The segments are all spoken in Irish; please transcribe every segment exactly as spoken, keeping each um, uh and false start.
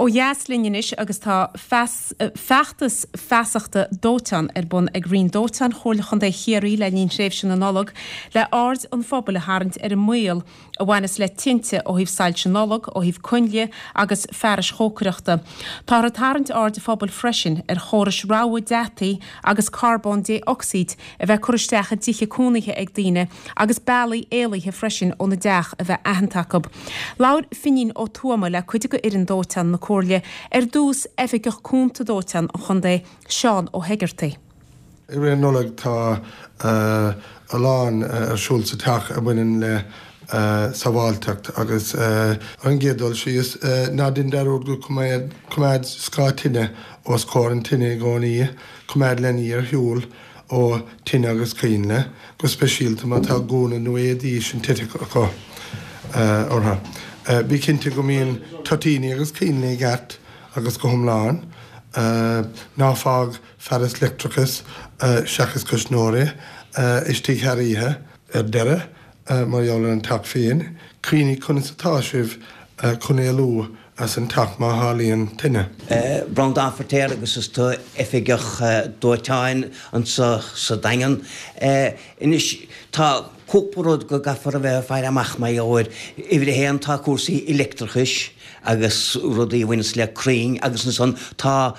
Ó dheas linn anois agus tá feachtas feasachta dóiteáin ar bun ag Roinn Dóiteáin Chomhairle Chontae Chiarraí le linn thréimhse na Nollag le aird an phobail a tharraingt ar an mbaol a bhaineas le tinte ó thaobh soilse Nollag, ó thaobh coinnle agus fearais chócaireachta. Táthar ag tarraingt aird an phobail freisin ar chórais rabhadh deataí agus carbón dé-ocsaíd a bheith curtha isteach i dtithe cónaithe ag daoine agus bealaí éalaithe freisin óna dteach a bheith aitheanta acu. Labhair Finín Ó Tuama le cuid de fhoireann dóiteáin na Comhairle ar dtús Oifigeach Cúnta Dóiteáin an Chontae Seán Ó hEigeartaigh. I rith na Nollag tá a lán ar siúl sa teach a bhaineann le sábháilteacht agus ar an gcéad dul síos ná déan dearúd go coimeád scáth tine os comhair an tine i gcónaí, coimeád leanaí ar shiúl ó tine agus coinnle, go speisialta má tá gúna nó éadaí sintéiseacha acu orthu. Bí cinnte go mbíonn toitíní agus coinnle i gceart agus go hiomlán. Ná fág fearas leictreachais seachas cuisneoirí istigh thar oíche. Ar deireadh, mar gheall ar an teach féin, cuimhnigh conas atá sibh chun éalú as an teach má tharlaíonn tine. Breandán Feirtéar agus is tú oifigeach dóiteáin anseo sa Daingean. Anois tá cúpla rud go gcaithfear a bheith ag faire amach mar gheall air. Uimhir a haon tá cúrsaí leictreachais agus rudaí a bhaineas le crainn agus ansan tá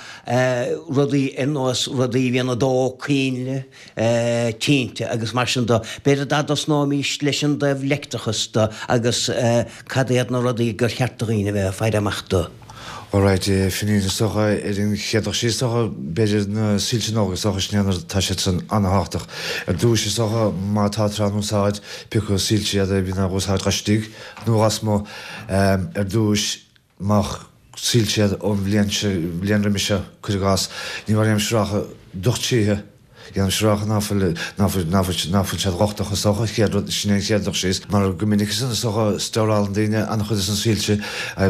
rudaí ar nós rudaí a bhíonn ag dó, coinnle, tinte agus mar sin de. B'fhéidir dá dtosnóimís leis an dtaobh leictreachais de agus cad iad na rudaí gur cheart do dhaoine a bheith ag faire amach dó. Alright, Finín, is dócha ar an chéad dul síos is dócha b'fhéidir na soilse Nollag is dócha sin é tá siad san an-thábhachtach. Ar dtús is dócha má tá á n-úsáid pé acu soilse iad a bhíonn á úsáid laistigh nó lasmuigh ar dtús má soilse iad ón bhliain seo bhliain roimhe seo cuir i gcás ní bheadh aon sraith docht títhe Dhéanamh sraith ná fuil ná fuil ná fuil ná fuil siad lochtach is dócha chéad rud sin é an chéad dul síos mar go minic is is dócha stórálann daoine an-chuid de na soilse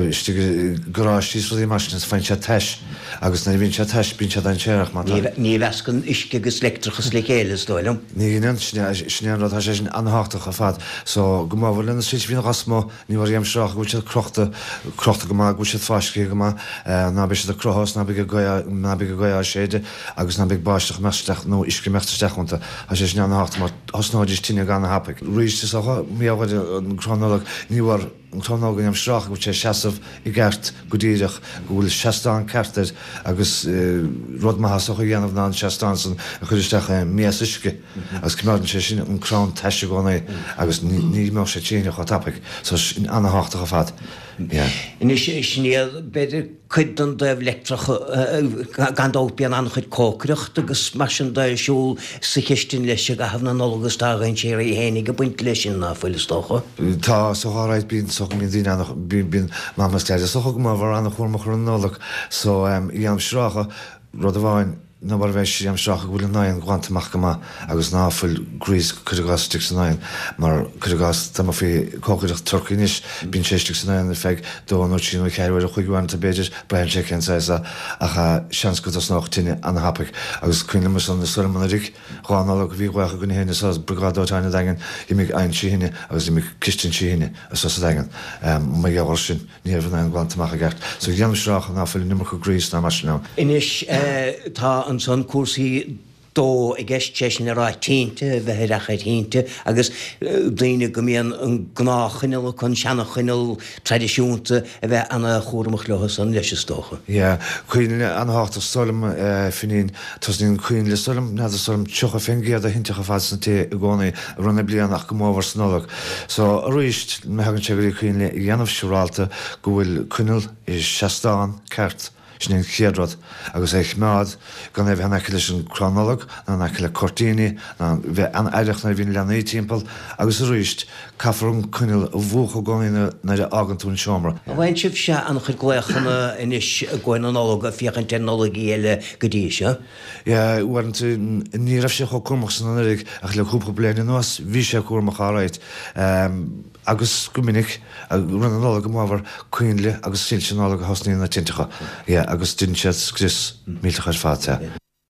istigh i gcaráistí is rudaí mar sin is faigheann siad tais agus nuair a bhíonn siad tais bíonn siad dainséarach má tá Ní mheascann uisce agus leictreachas le chéile is dóigh liom. Ní dhéanann sin é sin é an rud tá sé sin an-thábhachtach ar fad so go mór le na soilse a bhíonn lasmuigh ní bheadh aon sraith go bhfuil siad crochta crochta go maith go bhfuil siad fáiscthe go maith ná beidh siad ag croitheadh is ná beidh gaoth ná beidh gaoth á séideadh agus ná beidh báisteach imeacht isteach nó uisce imeacht isteach iontu. Tá sé sin an-thábhachtach mar thosnóidís tine go han-thapaidh. Arís is dócha, mar gheall ar an gcrann Nollag, ní bhfuair an crann Nollag an sraith go bhfuil sé ag seasamh i gceart go díreach, go bhfuil seastán ceart air agus rud maith is dócha a dhéanamh ná an seastán san a chur isteach i mias uisce agus coimeádann sé sin an crann tais i gcónaí agus ní imeodh sé tine chomh tapaidh. So sin an-thábhachtach ar fad. Yeah. Anois sin iad b'fhéidir cuid den dtaobh leictreach gan dabht bíonn an-chuid cócaireacht agus mar sin de ar siúl sa chistin leis i gcaitheamh na Nollag agus tá a dhainséaraí fhéinig ag baint leis sin ná fuil is dócha. Tá is dócha alright bíonn is dócha bíonn daoine an bíonn bíonn Mama is Daid is dócha go mór an-chúramach ar an Nollaig so dhéanaim sraithe rud amháin ná mar a bheidh sé amsraith go bhfuil an oigheann glanta amach go maith agus ná fuil grease cuir i gcás istigh san oigheann mar cuir i gcás dá mbeifí ag cócaireacht turcaí anois bíonn sé istigh san oigheann ar feadh dó nó trí nó ceathair uair a chloig uaireanta b'fhéidir braitheann sé cén saghas é ach seans go dtosnódh tine an-thapaidh agus cuimhin liom ansan is dóigh liom anuraidh dhá Nollaig a bhí glaoch againn féin anso Briogáid Dóiteáin an Daingin d'imigh oigheann trí thine agus d'imigh cistin trí thine anso sa Daingean mar gheall air sin. Ní raibh an oigheann glanta amach i gceart. So dhéanaim sraith ná fuil an iomarca grease ná mar sin ann. Anois tá ansan cúrsaí dó i gceist, sé sin le rá tinte, a bheith aireach ar thinte agus daoine go mbíonn an gnáthchoinneal acu, an seana-choinneal traidisiúnta, a bheith ana-chúramach leo san leis is dócha. Yeah, coinnle an-thábhachtach is dóigh liom, Finín. Tosnaíonn coinnle is dóigh liom, n'fheadar is dóigh liom tríocha fén gcéad de thinteacha ar fad sna tithe i gcónaí i rith na bliana ach go mórmhór sa Nollaig. So arís, má thagann sé go dtí coinnle a dhéanamh siúrálta go bhfuil coinneal i seastán ceart, sin é an chéad rud, agus é a choimeád gan é a bheith in aice leis an crann Nollag ná in aice le cuirtíní ná bheith an-aireach nuair a bhíonn leanaí timpeall agus arís, caithfear an coinneal a mhúchadh i gcónaí nuair a fhágann tú an seomra. An bhfaigheann sibhse an-chuid glaochanna anois i gcomhair na Nollag ag féachaint ar Nollaigí eile go dtí seo? Yeah, uaireanta ní raibh sé chomh cúramach san anuraidh ach le cúpla bliain anuas bhí sé cúramach alright. Agus go minic, i rith na Nollag go mórmhór, coinnle agus soilse Nollag a thosnaíonn na tinteacha, yeah, agus déanann siad scrios millteach ar fad, yeah.